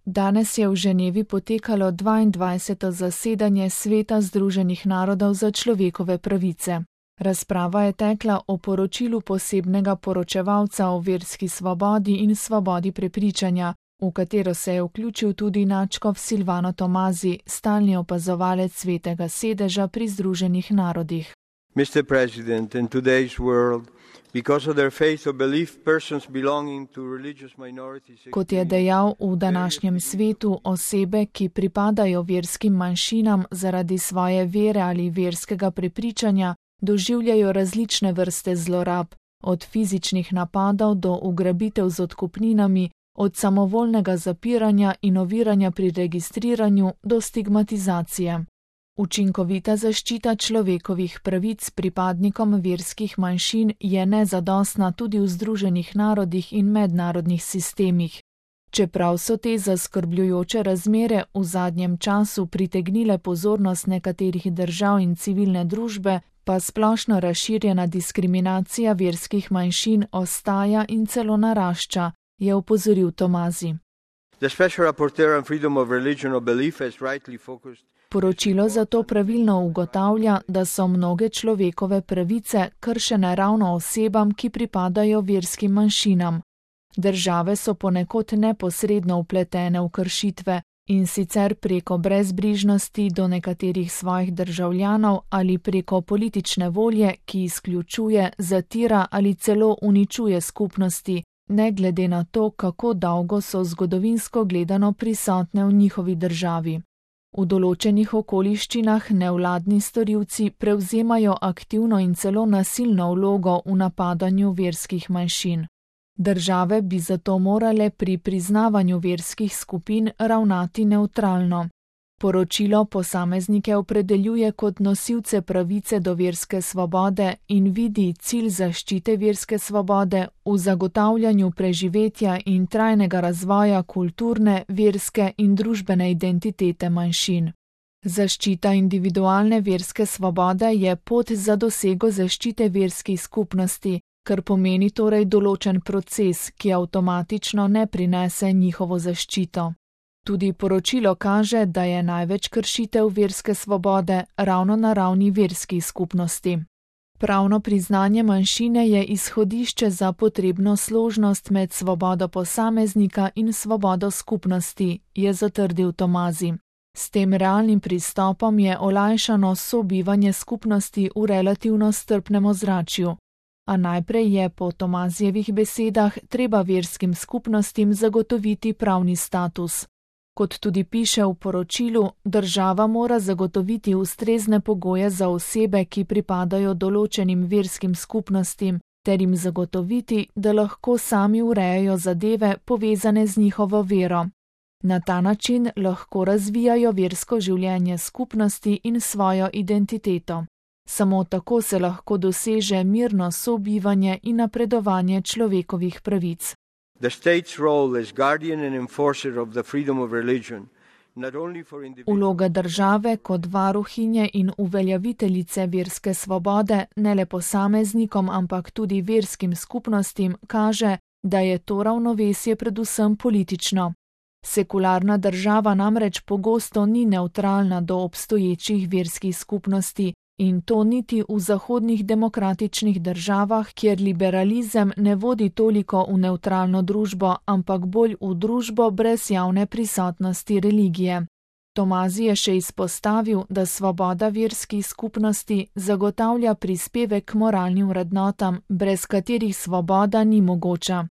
Danes je v Ženevi potekalo 22. zasedanje Sveta Združenih narodov za človekove pravice. Razprava je tekla o poročilu posebnega poročevalca o verski svobodi in svobodi prepričanja, v katero se je vključil tudi nadškof Silvano Tomazi, stalni opazovalec Svetega sedeža pri Združenih narodih. Mr. President, in today's world, because of their faith or belief, persons belonging to religious minorities... Kot je dejal, v današnjem svetu osebe, ki pripadajo verskim manjšinam zaradi svoje vere ali verskega prepričanja, doživljajo različne vrste zlorab, od fizičnih napadov do ugrabitev z odkupninami, od samovoljnega zapiranja in oviranja pri registriranju do stigmatizacije. Učinkovita zaščita človekovih pravic pripadnikom verskih manjšin je nezadostna tudi v Združenih narodih in mednarodnih sistemih. Čeprav so te zaskrbljujoče razmere v zadnjem času pritegnile pozornost nekaterih držav in civilne družbe, pa splošno razširjena diskriminacija verskih manjšin ostaja in celo narašča, je opozoril Tomazi. Poročilo zato pravilno ugotavlja, da so mnoge človekove pravice kršene ravno osebam, ki pripadajo verskim manjšinam. Države so ponekod neposredno vpletene v kršitve, in sicer preko brezbrižnosti do nekaterih svojih državljanov ali preko politične volje, ki izključuje, zatira ali celo uničuje skupnosti, ne glede na to, kako dolgo so zgodovinsko gledano prisotne v njihovi državi. V določenih okoliščinah nevladni storilci prevzemajo aktivno in celo nasilno vlogo v napadanju verskih manjšin. Države bi zato morale pri priznavanju verskih skupin ravnati nevtralno. Poročilo posameznike opredeljuje kot nosilce pravice do verske svobode in vidi cilj zaščite verske svobode v zagotavljanju preživetja in trajnega razvoja kulturne, verske in družbene identitete manjšin. Zaščita individualne verske svobode je pot za dosego zaščite verskih skupnosti, kar pomeni torej določen proces, ki avtomatično ne prinese njihovo zaščito. Tudi poročilo kaže, da je največ kršitev verske svobode ravno na ravni verskih skupnosti. Pravno priznanje manjšine je izhodišče za potrebno složnost med svobodo posameznika in svobodo skupnosti, je zatrdil Tomazi. S tem realnim pristopom je olajšano sobivanje skupnosti v relativno strpnem ozračju. A najprej je po Tomazijevih besedah treba verskim skupnostim zagotoviti pravni status. Kot tudi piše v poročilu, država mora zagotoviti ustrezne pogoje za osebe, ki pripadajo določenim verskim skupnostim, ter jim zagotoviti, da lahko sami urejajo zadeve povezane z njihovo vero. Na ta način lahko razvijajo versko življenje skupnosti in svojo identiteto. Samo tako se lahko doseže mirno sobivanje in napredovanje človekovih pravic. Vloga države kot varuhinje in uveljaviteljice verske svobode ne le posameznikom, ampak tudi verskim skupnostim kaže, da je to ravnovesje predvsem politično. Sekularna država namreč pogosto ni nevtralna do obstoječih verskih skupnosti, in to niti v zahodnih demokratičnih državah, kjer liberalizem ne vodi toliko v nevtralno družbo, ampak bolj v družbo brez javne prisotnosti religije. Tomazi je še izpostavil, da svoboda verskih skupnosti zagotavlja prispevek k moralnim vrednotam, brez katerih svoboda ni mogoča.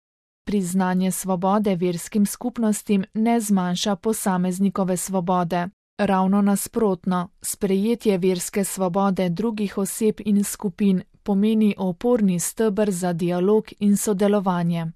Priznanje svobode verskim skupnostim ne zmanjša posameznikove svobode. Ravno nasprotno, sprejetje verske svobode drugih oseb in skupin pomeni oporni steber za dialog in sodelovanje.